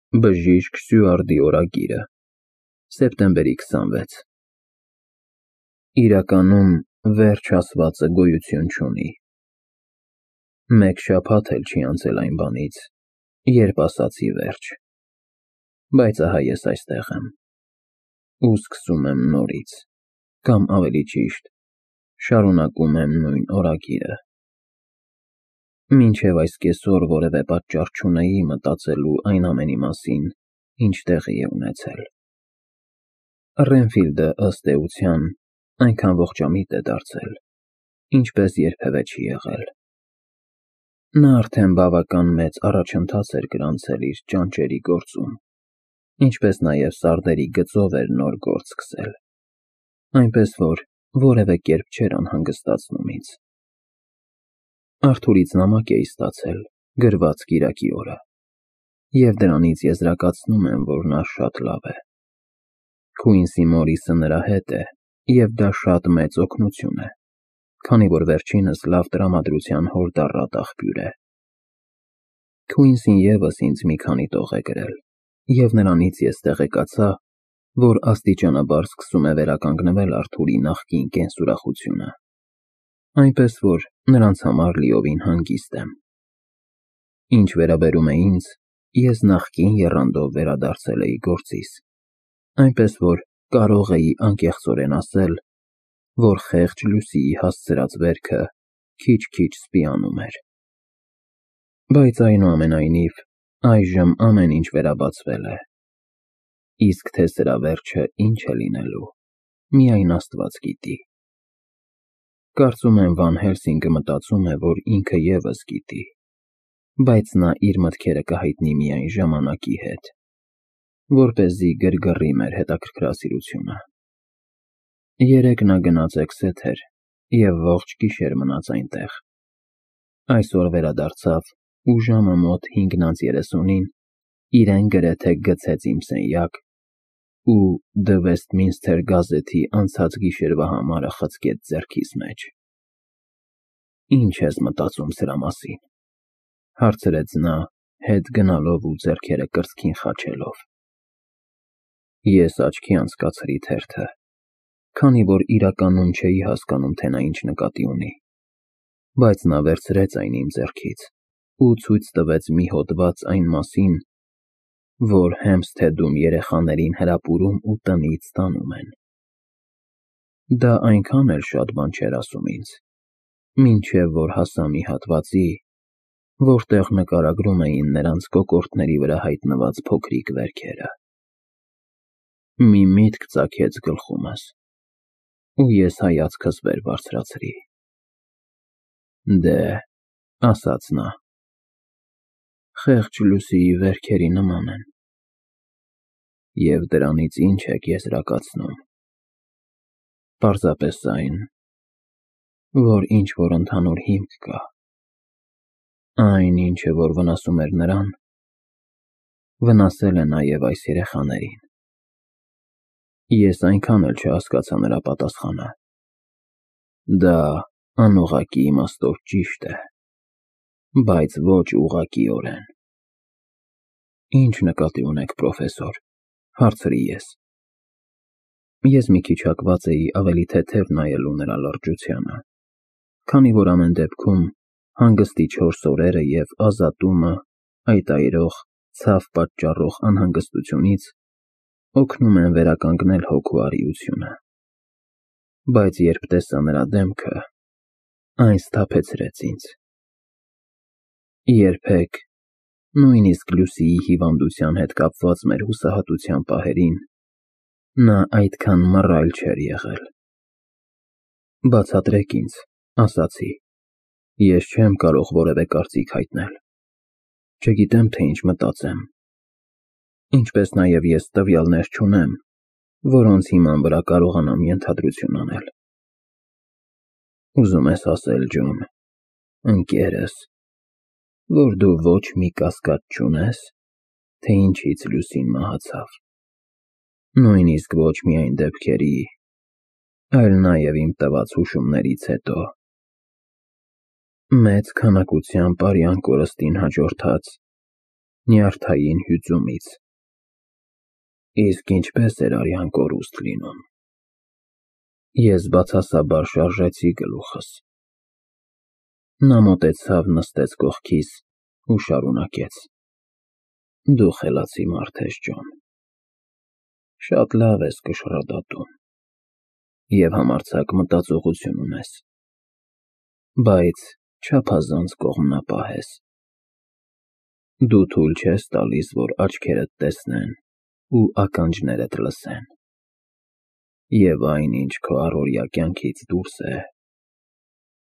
Բժիշկ Սյուարդի օրագիրը, սեպտեմբերի 26։ Իրականում վերջ ասվածը գոյություն չունի։ Մեկ շաբաթ էլ չի անցել այն բանից, երբ ասացի վերջ, բայց ահա ես այստեղ եմ ու սկսում եմ նորից, կամ ավելի ճիշտ, շարունակում եմ նույն օրագիրը։ Մինչև այս կեսօր որևէ պատճառ չունեի մտածելու այն ամենի մասին, ինչ տեղի է ունեցել։ Ռենֆիլդը, ըստ էության, այնքան ողջամիտ է դարձել, ինչպես երբևէ չի եղել։ Նա արդեն բավական մեծ առաջընթաց էր գրանցել իր ճանճերի գործում, ինչպես նաև սարդերի գծով էր նոր գործ սկսել, այնպես որ որևէ կերպ չէր անհանգստացնում ինձ։ Արթուրից նամակ էի ստացել գրված կիրակի օրը, և դրանից եզրակացնում եմ, որ նա շատ լավ է։ Քուինսի Մորիսը նրա հետ է, և դա շատ մեծ օգնություն է, քանի որ վերջինս լավ տրամադրության հորդառատ աղբյուր է։ Քուինսին ևս ինձ մի քանի տող է գրել, և նրանից ես տեղեկացա, որ աստիճանաբար սկսում է վերականգնվել Արթուրի նախկին կենսուրախությունը, այնպես որ նրանց համար լիովին հանգիստ եմ։ Ինչ վերաբերում է ինձ, ես նախկին եռանդով վերադարձել էի գործիս, այնպես որ կարող էի անկեղծորեն ասել, որ խեղճ Լուսիի հասցրած վերքը քիչ-քիչ սպիանում էր։ Բայց այնուամենայնիվ, այժմ ամեն ինչ վերաբացվել է, իսկ թե սրա վերջը ինչ է լինելու, միայն Աստված գիտի։ Կարծում եմ Վան Հելսինգը մտածում է, որ ինքը ևս գիտի, բայց նա իր մտքերը կհայտնի միայն ժամանակի հետ, որպեսզի գրգռի մեր հետաքրքրասիրությունը։ Երեկ նա գնաց Էքսեթեր և ողջ գիշեր մնաց այնտեղ։ Այսօր վերադարձավ ու ժամը մոտ 5:30-ին իրեն գրեթե գցեց իմ սենյակ ու The Westminster գազեթի անցած գիշերվա համարը խցկեց ձեռքիս մեջ։ Ինչ ես մտածում սրա մասին, հարցրեց նա, հետ գնալով ու ձեռքերը կրծքին խաչելով։ Ես աչքի անցկացրի թերթը, քանի որ իրականում չէի հասկանում, թե նա ինչ նկատի ունի, բայց նա վերցրեց այն իմ ձեռքից ու ցույց տվեց մի հոդված այն մասին, որ Հեմփսթեդում երեխաներին հրապուրում ու տնից տանում են։ Դա այնքան էլ շատ բան չէր ասում ինձ, մինչև որ հասա մի հատվածի, որտեղ նկարագրում էին նրանց կոկորդների վրա հայտնված փոքրիկ վերքերը։ Մի միտք ծագեց գլխումս, ու ես հայացքս վեր բարձրացրի։ Դե, ասաց նա, խեղճ Լուսիի վերքերի նման են։ Եվ դրանից ինչ եք եզրակացնում։ Պարզապես այն, որ ինչ-որ ընդհանուր հիմք կա։ Այն ինչը, որ վնասում էր նրան, վնասել է նաև այս երեխաներին։ Ես այնքան էլ չհասկացա նրա պատասխանը։ Դա անուղղակի իմաստով ճիշտ է, բայց ոչ ուղղակիորեն։ Ինչ նկատի ունեք, պրոֆեսոր, հարցրի ես։ Ես մի քիչ հակված էի ավելի թեթև նայելու նրա լրջությանը, քանի որ ամեն դեպքում հանգստի 4 օրերը և ազատումը այդ այրող, ցավ պատճառող անհանգստությունից օգնում են վերականգնել հոգու արիությունը։ Բայց երբ տեսա նրա դեմքը, այն սթափեցրեց ինձ։ Երբեք, նույնիսկ Լուսիի հիվանդության հետ կապված մեր հուսահատության պահերին, նա այդքան մռայլ չէր եղել։ Բացատրեք ինձ, ասացի, ես չեմ կարող որևէ կարծիք հայտնել։ Չգիտեմ, թե ինչ մտածեմ։ Ինչպես նաև ես տվյալներ չունեմ, որոնց հիման վրա կարողանամ ենթադրություն անել։ Ուզում ես ասել, Ջոն, ընկերս, որ դու ոչ մի կասկած չունես, թե ինչից Լուսին մահացավ։ Նույնիսկ ոչ միայն դեպքերի, այլ նաև իմ տված հուշումներից հետո։ Մեծ քանակությամբ արյան կորստին հաջորդած նյարդային հյուծումից։ Իսկ ինչպես էր արյան կորուստ լինում։ Ես բացասաբար շարժեցի գլուխս։ Նա մոտեցավ, նստեց կողքիս ու շարունակեց. Դու խելացի մարդ ես, Ջոն։ Շատ լավ ես կշռադատում և համարձակ մտածողություն ունես, բայց չափազանց կողմնապահ ես։ Դու թույլ չես տալիս, որ աչքերդ տեսնեն ու ականջներդ լսեն, և այն, ինչ քո առօրյա կյանքից դուրս է,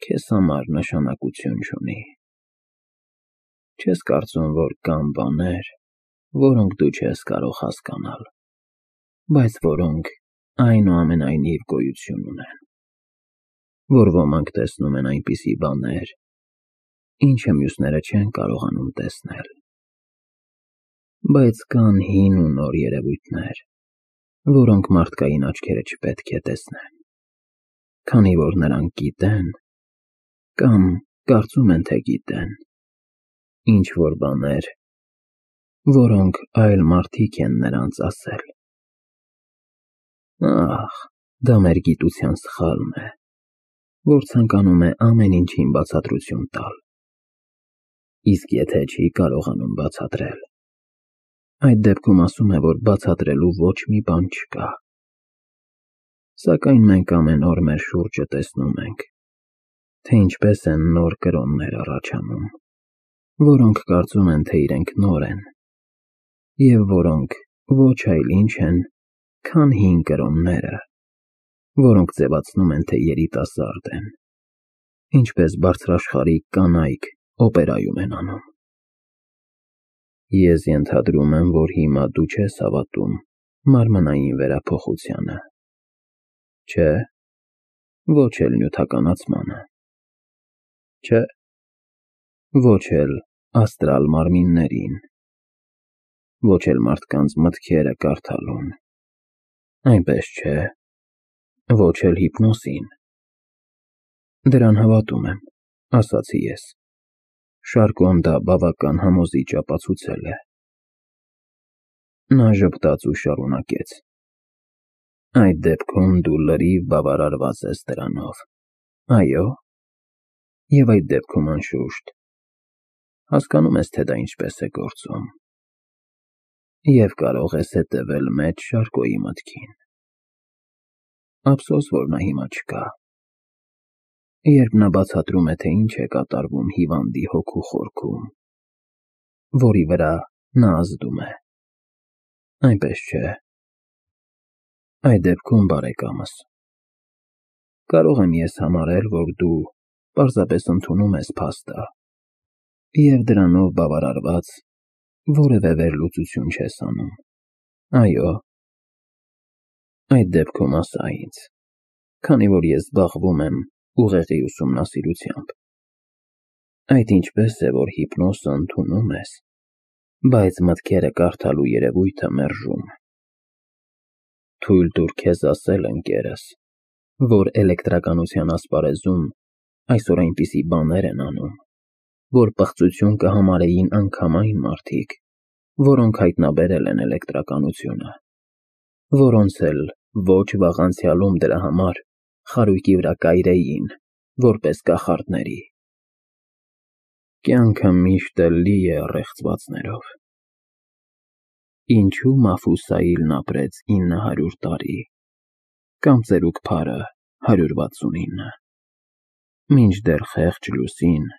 քեզ համար նշանակություն չունի։ Չես կարծում, որ կան բաներ, որոնք դու չես կարող հասկանալ, բայց որոնք այնուամենայնիվ գոյություն ունեն, որ ոմանք տեսնում են այնպիսի բաներ, ինչը մյուսները չեն կարողանում տեսնել։ Բայց կան հին ու նոր երևույթներ, որոնք մարդկային աչքերը չպետք է տեսնեն, քանի որ նրանք գիտեն կամ կարծում են, թե գիտեն ինչ-որ բաներ, որոնք այլ մարդիկ են նրանց ասել։ Ահ, դա մեր գիտության սխալն է, որ ցանկանում է ամեն ինչին բացատրություն տալ, իսկ եթե չի կարողանում բացատրել, այդ դեպքում ասում է, որ բացատրելու ոչ մի բան չկա։ Սակայն մենք ամեն օր մեր շուրջը տեսնում ենք, թե ինչպես են նոր կրոններ առաջանում, որոնք կարծում են, թե իրենք նոր են, և որոնք ոչ այլ ինչ են, քան հին կրոնները, որոնք ձևացնում են, թե երիտասարդ են, ինչպես բարձրաշխարհիկ կանայք օպերայում են անում։ Ես ենթադրում եմ, որ հիմա դու չես հավատում մարմնային վերափոխությանը, չէ՞, ոչ էլ նյութականացմանը, չէ՞, ոչ էլ աստրալ մարմիններին, ոչ էլ մարդկանց մտքերը կարդալուն, այնպես չէ, ոչ էլ հիպնոսին։ Դրան հավատում եմ, ասացի ես։ Շարկոն դա բավական համոզիչ ապացուցել է։ Նա ժպտաց ու շարունակեց. Այդ դեպքում դու լրիվ բավարարված ես դրանով, այո՞։ Եվ այդ դեպքում, անշուշտ, հասկանում ես, թե դա ինչպես է գործում, և կարող ես հետևել մեծ Շարկոյի մտքին։ Ափսոս, որ նա հիմա չկա։ Երբ նա բացատրում է, թե ինչ է կատարվում հիվանդի հոգու խորքում, որի վրա նա ազդում է, այնպես չէ։ Այդ դեպքում, բարեկամս, կարող եմ ես համարել, որ դու պարզապես ընդունում ես փաստը և դրանով բավարարված որևէ վերլուծություն չես անում, այո։ Այդ դեպքում ասա ինձ, քանի որ ես զբաղվում եմ ուղեղի ուսումնասիրությամբ, այդ ինչպես է, որ հիպնոսը ընդունում ես, բայց մտքերը կարդալու երևույթը մերժում։ Թույլ տուր քեզ ասել, ընկերս, որ էլեկտրականության ասպարեզում այսօր այնպիսի բաներ են անում, որ պղծություն կհամարեին անգամ այն մարդիկ, որոնք հայտնաբերել են էլեկտրականությունը, որոնց էլ ոչ վաղ անցյալում դրա համար խարույկի վրա կայրեին, որպես կախարդների։ Կյանքը միշտ էլ լի է առեղծվածներով։ Ինչու Մաֆուսայիլն ապրեց 900 տարի, կամ ծերուկ Փարը 169, մինչդեռ խեղճ Լուսին,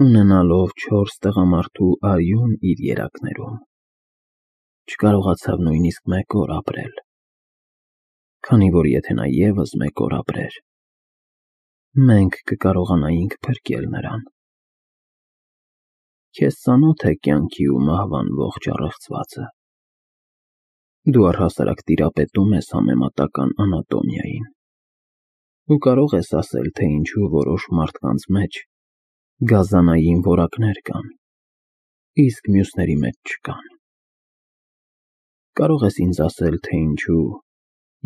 ունենալով 4 տղամարդու արյուն իր երակներում, չկարողացավ նույնիսկ մեկ օր ապրել, քանի որ եթե նա ևս մեկ օր ապրեր, մենք կկարողանայինք փրկել նրան։ Քեզ ծանոթ է կյանքի ու մահվան ողջ առեղծվածը։ Դու առհասարակ տիրապետում ես համեմատական անատոմիային ու կարող ես ասել, թե ինչու որոշ մարդկանց մեջ գազանային որակներ կան, իսկ մյուսների մեջ չկան։ Կարող ես ինձ ասել, թե ինչու,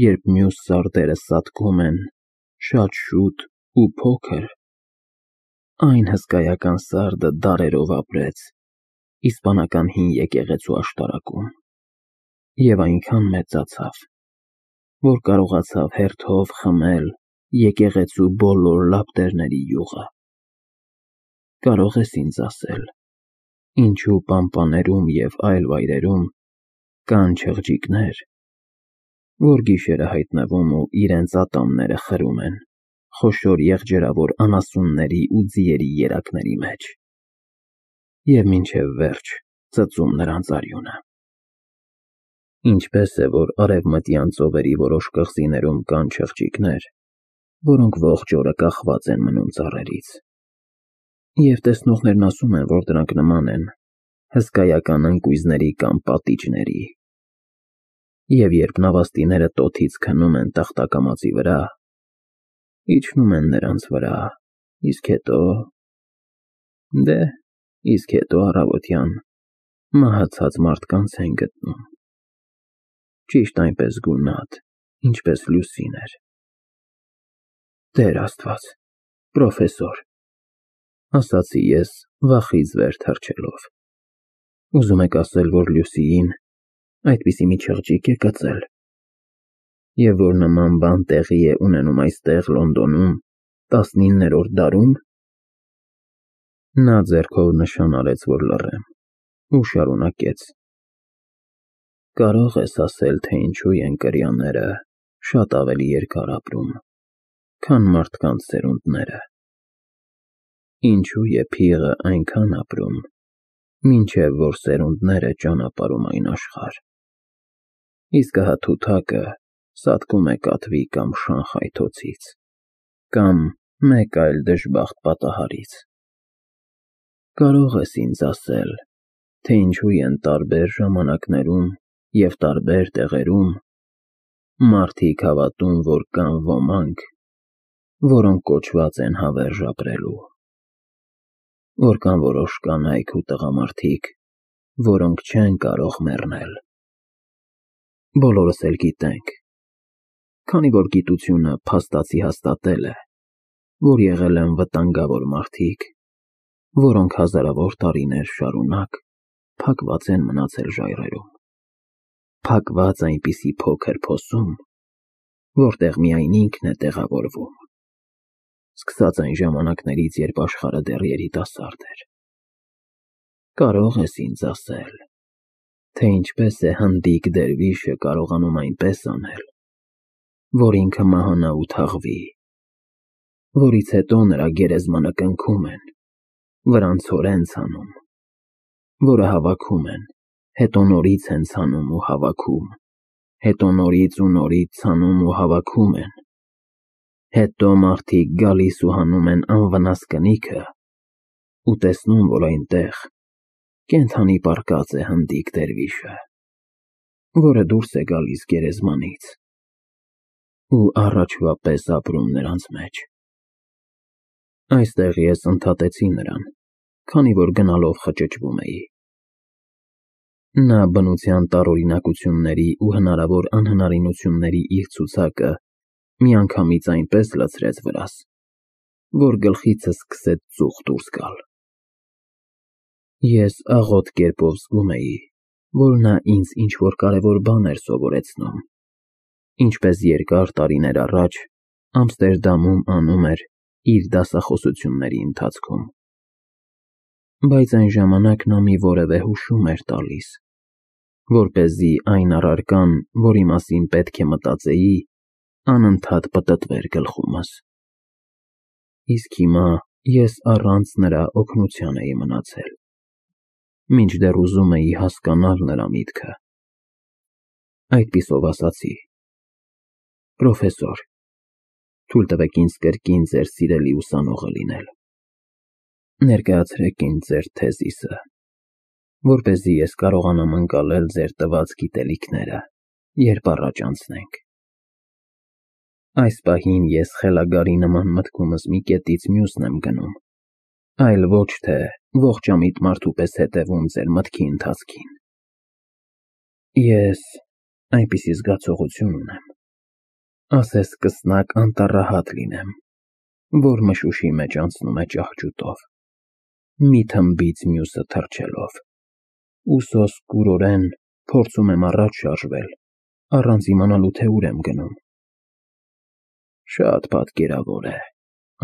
երբ մյուս սարդերը սատկում են շատ շուտ ու փոքր, այն հսկայական սարդը դարերով ապրեց իսպանական հին եկեղեցու աշտարակում, և այնքան մեծացավ, որ կարողացավ հերթով խմել եկեղեցու բոլոր լապտերների յուղը։ Կարող ես ինձ ասել, ինչու պամպաներում և այլ վայրերում կան չղջիկներ, որ գիշերը հայտնվում ու իրենց ատամները խրում են խոշոր եղջերավոր անասունների ու ձիերի երակների մեջ, և մինչև վերջ ծծում նրանց արյունը։ Ինչպես է, որ արևմտյան ծովերի որոշ կղզիներում կան չղջիկներ, որոնք ողջ օրը կախված են մնում ծառերից, և տեսնողներն ասում են, որ դրանք նման են հսկայական ընկույզների կամ պատիճների, և երբ նավաստիները տոթից քնում են տախտակամածի վրա, իջնում են նրանց վրա, իսկ հետո առավոտյան մահացած մարդկանց են գտնում, ճիշտ այնպես գունատ, ինչպես Լուսին էր։ Տեր Աստված, պրոֆեսոր, ասացի ես վախից վեր թռչելով, ուզում եք ասել, որ Լուսիին այդպիսի մի չղջիկ է կծել, և որ նման բան տեղի է ունենում այստեղ Լոնդոնում 19-րդ դարում։ Նա ձեռքով նշան արեց, որ լռեմ, ու շարունակեց. Կարող ես ասել, թե ինչու են կրյաները շատ ավելի երկար ապրում, քան մարդկանց սերունդները, ինչու է փիղը այնքան ապրում, մինչև որ սերունդները ճանապարհում այն աշխարհ, իսկ հա թութակը սատկում է կատվի կամ շանխայթոցից, կամ մեկ այլ դժբախտ պատահարից։ Կարող ես ինձ ասել, թե ինչու են տարբեր ժամանակներում և տարբեր տեղերում մարդիկ հավատում, որ կան ոմանք, որոնք կոչված են հավերժ ապրելու, որ կան որոշ կանայք ու տղամարդիկ, որոնք չեն կարող մեռնել։ Բոլորս էլ գիտենք, քանի որ գիտությունը փաստացի հաստատել է, որ եղել են վտանգավոր մարդիկ, որոնք հազարավոր տարիներ շարունակ փակված են մնացել ժայռերում, փակված այնպիսի փոքր փոսում, որտեղ միայն ինքն է տեղավորվում, սկսած այն ժամանակներից, երբ աշխարհը դեռ երիտասարդ էր։ Կարող ես ինձ ասել, թե ինչպես է հնդիկ դերվիշը կարողանում այնպես անել, որ ինքը մահանա ու թաղվի, որից հետո նրա գերեզմանը կնքում են, վրան ցորեն ցանում, որը հավաքում են, հետո նորից են ցանում ու հավաքում, հետո նորից ու նորից ցանում ու հավաքում են, հետո մարդիկ գալիս ու հանում են անվնաս կնիքը ու տեսնում, որ այնտեղ կենդանի պառկած է հնդիկ դերվիշը, որը դուրս է գալիս գերեզմանից ու առաջվա պես ապրում նրանց մեջ։ Այստեղ ես ընդհատեցի նրան, քանի որ գնալով խճճվում էի։ Նա բնության տարօրինակությունների ու հնարավոր անհնարինությունների իր ցուցակը միանգամից այնպես լցրեց վրաս, որ գլխիցս սկսեց ծուխ դուրս գալ։ Ես աղոտ կերպով զգում էի, որ նա ինձ ինչ-որ կարևոր բան էր սովորեցնում, ինչպես երկար տարիներ առաջ Ամստերդամում անում էր իր դասախոսությունների ընթացքում։ Բայց այն ժամանակ նա մի որևէ հուշում էր տալիս, որպեսզի այն առարկան, որի մասին պետք է մտածեի, անընդհատ պտտվեր գլխումս։ Իսկ հիմա ես առանց նրա օգնության էի մնացել, մինչդեռ ուզում էի հասկանալ նրա միտքը։ Այդպիսով ասացի. Պրոֆեսոր, թույլ տվեք ինձ կրկին ձեր սիրելի ուսանողը լինել։ Ներկայացրեք ինձ ձեր թեզիսը, որպեսզի ես կարողանամ ընկալել ձեր տված գիտելիքները, երբ առաջ անցնենք։ Այս պահին ես խելագարի նման մտքումս մի կետից մյուսն եմ գնում, այլ ոչ թե ողջամիտ մարդու պես հետևում ձեր մտքի ընթացքին։ Ես այնպիսի զգացողություն ունեմ, ասես սկսնակ անտառահատ լինեմ, որ մշուշի մեջ անցնում է ճահճուտով, մի թմբից մյուսը թռչելով։ ու սոսկուրորեն փորձում եմ առաջ շարժվել, առանց իմանալու թե ուր եմ գնում։ Շատ պատկերավոր է,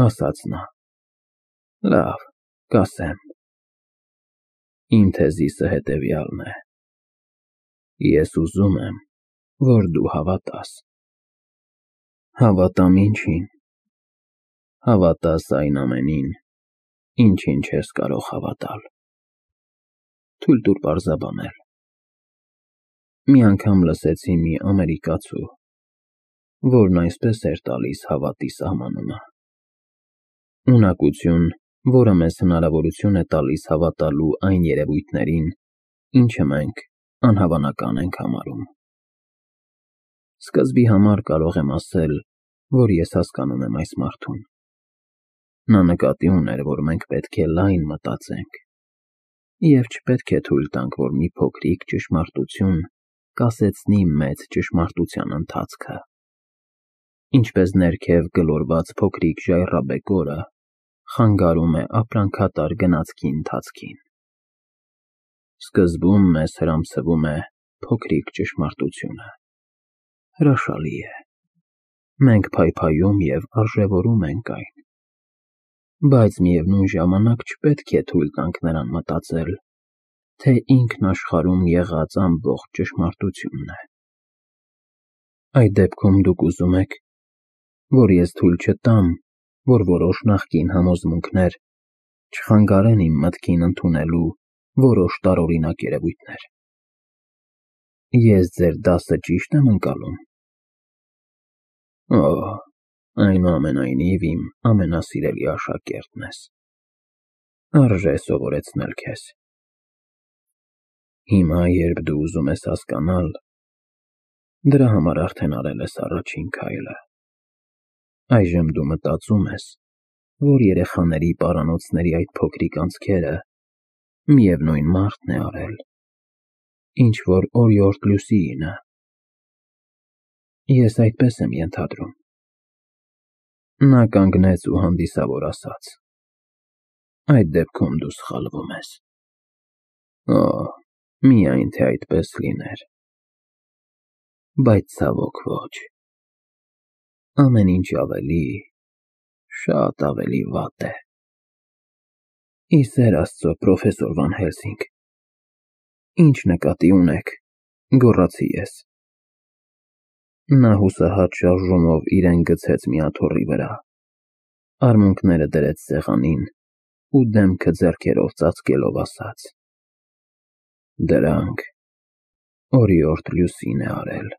ասաց նա։ Լավ, կասեմ։ Իմ թեզիսը հետևյալն է. ես ուզում եմ, որ դու հավատաս։ Հավատամ ինչին։ Հավատաս այն ամենին, ինչին չես կարող հավատալ։ Թույլ տուր պարզաբանել։ Մի անգամ լսեցի մի ամերիկացու, որն այսպես էր տալիս հավատի սահմանումը. ունակություն, որը մեզ հնարավորություն է տալիս հավատալու այն երևույթներին, ինչը մենք անհավանական ենք համարում։ Սկզբի համար կարող եմ ասել, որ ես հասկանում եմ այս մարդուն։ Նա նկատի ուներ, որ մենք պետք է լայն մտածենք, և չպետք է թույլ տանք, որ մի փոքրիկ ճշմարտություն կասեցնի մեծ ճշմարտության ընթացքը, ինչպես ներքև գլորված փոքրիկ ժայռաբեկորը խանգարում է ապրանքատար գնացքի ընթացքին։ Սկզբում մեզ հրամցվում է փոքրիկ ճշմարտությունը։ Հրաշալի է։ Մենք փայփայում և արժևորում ենք այն։ Բայց միևնույն ժամանակ չպետք է թույլ տանք նրան մտածել, թե ինքն աշխարհում եղած ամբողջ ճշմարտությունն է։ Այդ դեպքում դուք ուզում եք, որ ես թույլ չտամ, որ որոշ նախկին համոզմունքներ չխանգարեն իմ մտքին ընդունելու որոշ տարօրինակ երևույթներ։ Ես ձեր դասը ճիշտ եմ ընկալում։ Օհ, այնուամենայնիվ իմ ամենասիրելի աշակերտն ես։ Արժե սովորեցնել քեզ։ Հիմա, երբ դու ուզում ես հասկանալ, դրա համար արդեն արել ես առաջին քայլը։ Այժմ դու մտածում ես, որ երեխաների պարանոցների այդ փոքրիկ անցքերը միևնույն մարդն է արել, ինչ որ օրիորդ Լուսիինը։ Ես այդպես եմ ենթադրում։ Նա կանգնեց ու հանդիսավոր ասաց. այդ դեպքում դու սխալվում ես։ Օհ, միայն թե այդպես լիներ։ Բայց ցավոք ոչ։ Ամեն ինչ ավելի, շատ ավելի վատ է։ Ի սեր Աստծո, պրոֆեսոր Վան Հելսինգ, ինչ նկատի ունեք, գոռացի ես։ Նա հուսահատ շարժումով իրեն գցեց մի աթոռի վրա, արմունկները դրեց սեղանին ու դեմքը ձեռքերով ծածկելով ասաց. դրանք օրիորդ Լուսին է արել։